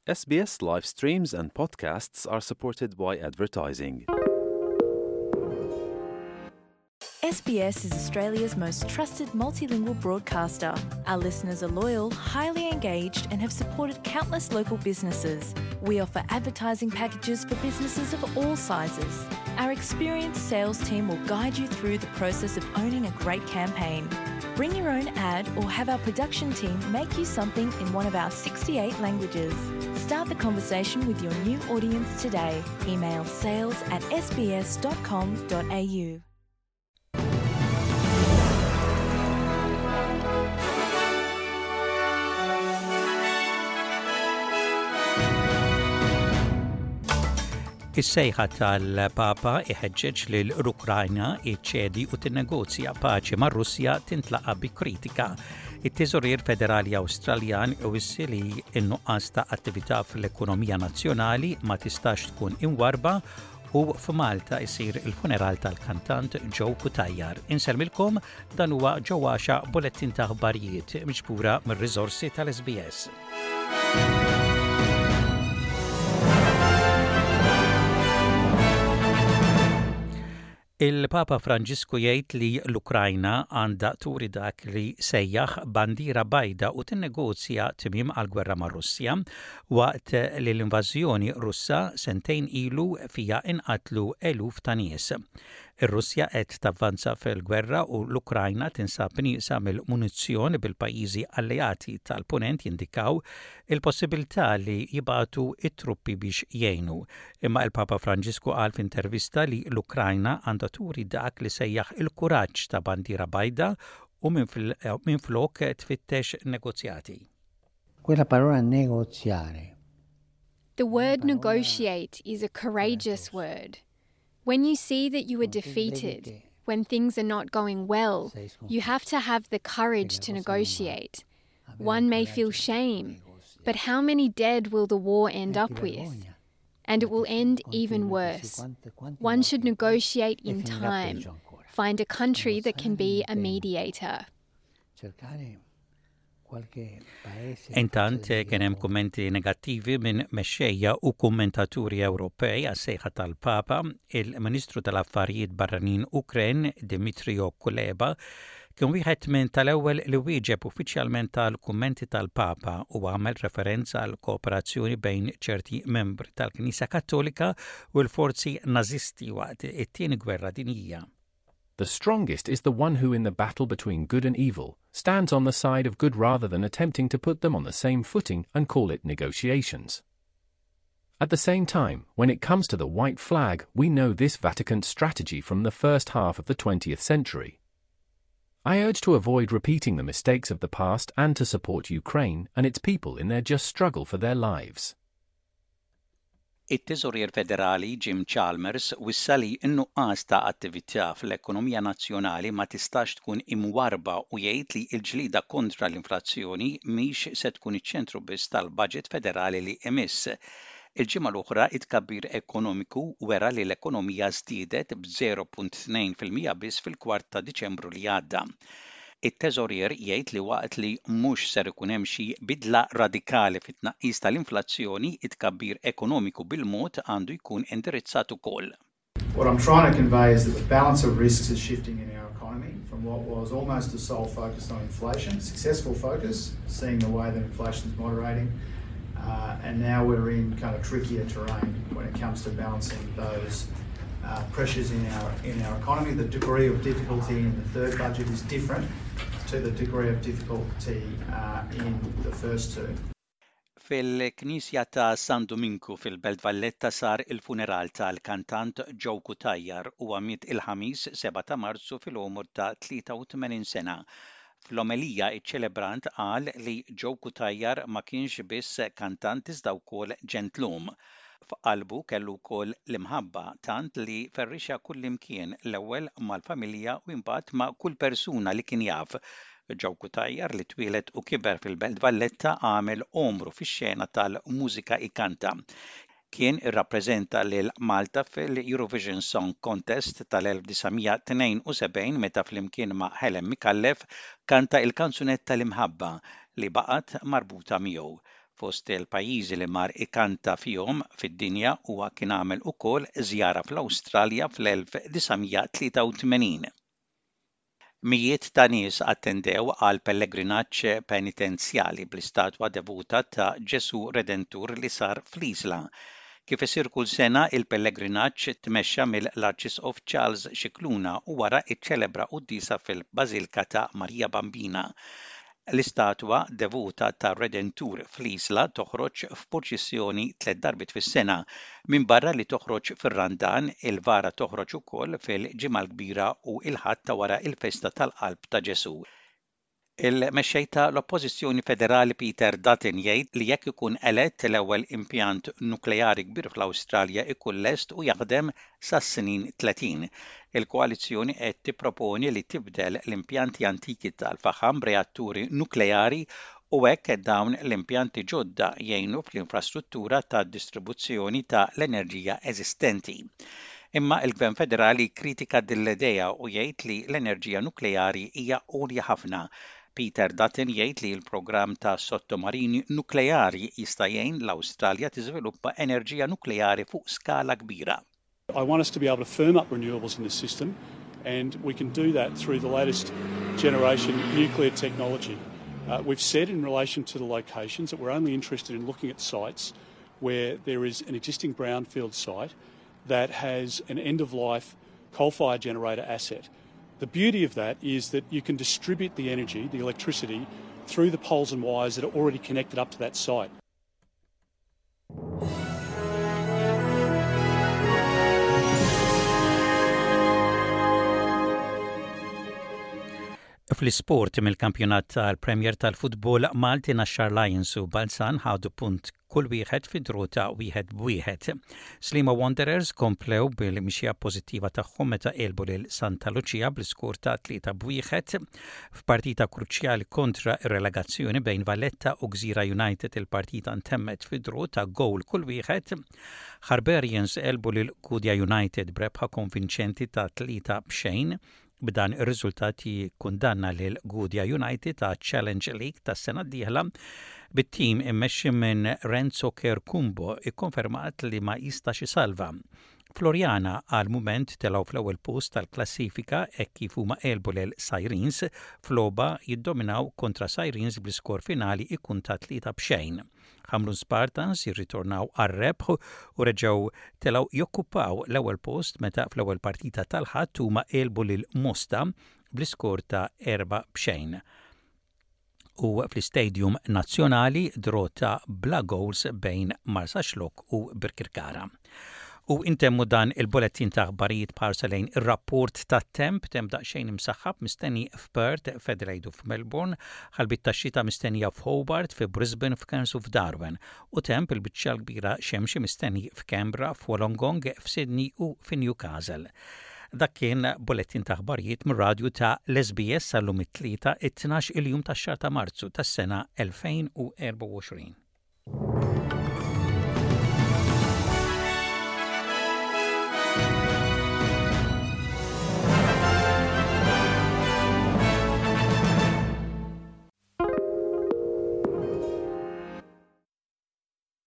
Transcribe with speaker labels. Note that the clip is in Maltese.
Speaker 1: SBS live streams and podcasts are supported by advertising.
Speaker 2: SBS is Australia's most trusted multilingual broadcaster. Our listeners are loyal, highly engaged, and have supported countless local businesses. We offer advertising packages for businesses of all sizes. Our experienced sales team will guide you through the process of owning a great campaign. Bring your own ad or have our production team make you something in one of our 68 languages. Start the conversation with your new audience today. Email sales at sbs.com.au.
Speaker 3: Is-sejħa tal-Papa iħeġġeġ lil l-Ukrajna iċċedi u tinnegozja paċi mar-Russja tintlaqa' bi kritika. It-Teżorier Federali Awstraljan iwissi li n-nuqqas ta' attività fl-ekonomija nazzjonali ma tistax tkun imwarrba u f'Malta jsir il-funeral tal-kantant Joe Cutajar. Insellmilkom dan huwa Joe Għaxa bulettin ta' aħbarijiet miġbura mir-riżorsi tal-SBS. Il-Papa Franġisku jgħid li l-Ukrajna għandha turi dak li sejjaħ bandiera bajda u tinnegozja tmiem għall-gwerra mar-Russja waqt li l-invażjoni Russa sentejn ilu fiha inqatlu eluf ta' nies. Ir-Russja qed tavvanza fil-gwerra u l-Ukrajna tinsab nieqsa mill-munizzjon bil-pajjiżi alleati tal-Punent jindikaw il-possibilità li jibagħtu t-truppi biex jgħinu. Imma il-Papa Franġisku qal f'intervista li l-Ukrajna għandha turi dak li sejjaħ il-kuraġġ ta' bandiera bajda u minflok tfittex negozjati.
Speaker 4: Quella parola negoziare.
Speaker 5: The word negotiate is a courageous word. When you see that you are defeated, when things are not going well, you have to have the courage to negotiate. One may feel shame, but how many dead will the war end up with? And it will end even worse. One should negotiate in time, find a country that can be a mediator.
Speaker 3: Intant kien hemm kummenti negattivi minn mexxejja u kummentaturi Ewropej għas-sejħa tal-Papa, il-Ministru tal-Affarijiet Barranin Ukren Dmytro Kuleba kien wieħed minn tal-ewwel li wieġeb uffiċjalment għall-kummenti tal-Papa u għamel referenza għal kooperazzjoni bejn ċerti membri tal-Knisja Kattolika u l-forzi Nażisti waqt it-Tieni Gwerra Dinjija.
Speaker 6: The strongest is the one who in the battle between good and evil, stands on the side of good rather than attempting to put them on the same footing and call it negotiations. At the same time, when it comes to the white flag, we know this Vatican strategy from the first half of the 20th century. I urge to avoid repeating the mistakes of the past and to support Ukraine and its people in their just struggle for their lives.
Speaker 3: It-Teżorier Federali Jim Chalmers wissa li n-nuqqas ta' attività fl-ekonomija nazzjonali ma tistax tkun imwarrba u jgħid li l-ġlieda kontra l-inflazzjoni mhix se tkun iċ-ċentru biss tal-baġit federali li imiss. Il-ġimgħa l-oħra it-tkabbir ekonomiku wera li l-ekonomija żdiedet b'0.2% biss fil-kwart ta' Diċembru li għadda. It-Teżorier jgħid li waqt li mhux ser ikun hemm xi bidla radikali fit-tnaqqis tal-inflazzjoni, it-tkabbir ekonomiku bil-mod għandu jkun indirizzat ukoll.
Speaker 7: What I'm trying to convey is that the balance of risks is shifting in our economy from what was almost a sole focus on inflation, successful focus, seeing the way that inflation is moderating, uh, and now we're in kind of trickier terrain when it comes to balancing those uh, pressures in our in our economy. The degree of difficulty in the third budget is different to the degree of difficulty uh, in the first two.
Speaker 3: Fil-Knisja ta' San Duminku fil-Belt Valletta sar il-funeral tal-kantant Joe Cutajar. Huwa miet il-Ħamis 7 ta' Marzu fil-għomor ta' 83 sena. Fl-omelija iċ-ċelebrant qal li Joe Cutajar ma kienx biss kantant iżda wkoll ġentlum. F'qalbu kellu wkoll l-imħabba, tant li ferrixha kullimkien, l-ewwel mal-familja u imbagħad ma' kull persuna li kien jaf. Joe Cutajar li twieled u kiber fil-Belt Valletta għamel għomru fix-xena tal-mużika ikanta. Kien irrappreżenta lil Malta fil-Eurovision Song Contest tal-1972 meta flimkien ma' Helen Micallef kanta l-kanzunetta L-Imħabba li baqgħet marbuta miegħu. Fost il-pajjiżi li mar ikanta fihom fid-dinja huwa kien għamel ukoll żjara fl-Awstralja fl-1983. Mijiet ta' nies attendew għal pellegrinaġġ penitenzjali bl-istatwa devuta ta' Ġesù Redentur li sar fl-Isla. Kif isir kull sena, il-pellegrinaġġ tmexxa mill-Arċisqof Charles Scicluna u wara ċċelebra quddiesa fil-Bażilka ta' Marija Bambina. L-istatwa devuta tar-Redentur fl-Isla toħroġ f'purċissjoni tlett darbiet fis-sena. Minbarra li toħroġ fir-Randan, il-vara toħroġ ukoll fil-Ġimgħa l-Kbira u l-Ħadd ta' wara l-festa tal-Qalb ta' Ġesù. Il-Mexxej ta' l-Oppożizzjoni Federali Peter Dutton jgħid li jekk ikun elett l-ewwel impjant nukleari kbir fl-Awstralja ikun lest u jaħdem sas-snin 30. Il-koalizzjoni qed tipproponi li tibdel l-impjanti antiki tal-faħam b'reatturi nukleari u hekk dawn l-impjanti ġodda jgħinu fl-infrastruttura tad-distribuzzjoni ta' l-enerġija eżistenti. Imma l-Gvern Federali kkritika din l-idea u jgħid li l-enerġija nukleari hija għolja ħafna. Peter Dutton jgħid li l-programm ta' sottomarini nukleari jista' jgħin l-Awstralja tiżviluppa enerġija nukleari fuq skala kbira.
Speaker 8: I want us to be able to firm up renewables in the system and we can do that through the latest generation nuclear technology. Uh, we've said in relation to the locations that we're only interested in looking at sites where there is an existing brownfield site that has an end-of-life coal-fired generator asset. The beauty of that is that you can distribute the energy, the electricity, through the poles and wires that are already connected up to that site.
Speaker 3: Fl-isport mill-kampjonat tal-Premier tal-Futbol Malti Naxxar Lions u Balzan ħadu punt kull wieħed fi draw ta' wieħed b'wieħed. Sliema Wanderers komplew bil-mixja pożittiva tagħhom meta għelbu lil Santa Lucia bl-iskor ta' 3 b'wieħed. F'partita kruċjali kontra r-relegazzjoni bejn Valletta u Gżira United il-partita ntemmet fi draw ta' gowl kull wieħed. Harbarians għelbu lil Gudja United b'rebħa konvinċenti ta' 3 b'xejn. B'dan ir-riżultat jikkundanna lil Gudja United għaċ-Challenge League tas-sena d-dieħla, bit-tim immexxi minn Renzo Kerkumbo ikkonfermat li ma jistax isalva. Floriana għal mument telgħu fl-ewwel post tal-klassifika hekk kif huma għelbu lil Sirens f'logħba jiddominaw kontra Sirens bl-iskor finali ikun ta' 3 b'xejn. Ħamrun Spartans jirritornaw għar-rebħ u reġgħu telgħu jokkupaw l-ewwel post meta fl-ewwel partita tal-Ħadd huma għelbu lil Mosta bl-iskor ta' 4 b'xejn. U fl-Istadium Nazzjonali draw ta' bla gowls bejn Marsaxlokk u Birkirkara. U intemmu dan il-bulettin ta' aħbarijiet b'ħarsa lejn ir-rapport tat-temp, temp daqsxejn imsaħħab mistenni f'Perth, f'Adelaide u f'Melbourne, ħalbiet tax-xita mistennija f'Hobart, fi Brisbane, f'Cairns u f'Darwin, u temp il-biċċa l-kbira xemxi mistenni f'Canberra, f'Wollongong, f'Sydney u fi Newcastle. Dak kien bulettin ta' aħbarijiet mir-radju ta' l-SBS għal-lum it-Tlieta, it-tnax il-jum tax-xahar ta' Marzu tas-sena 2024.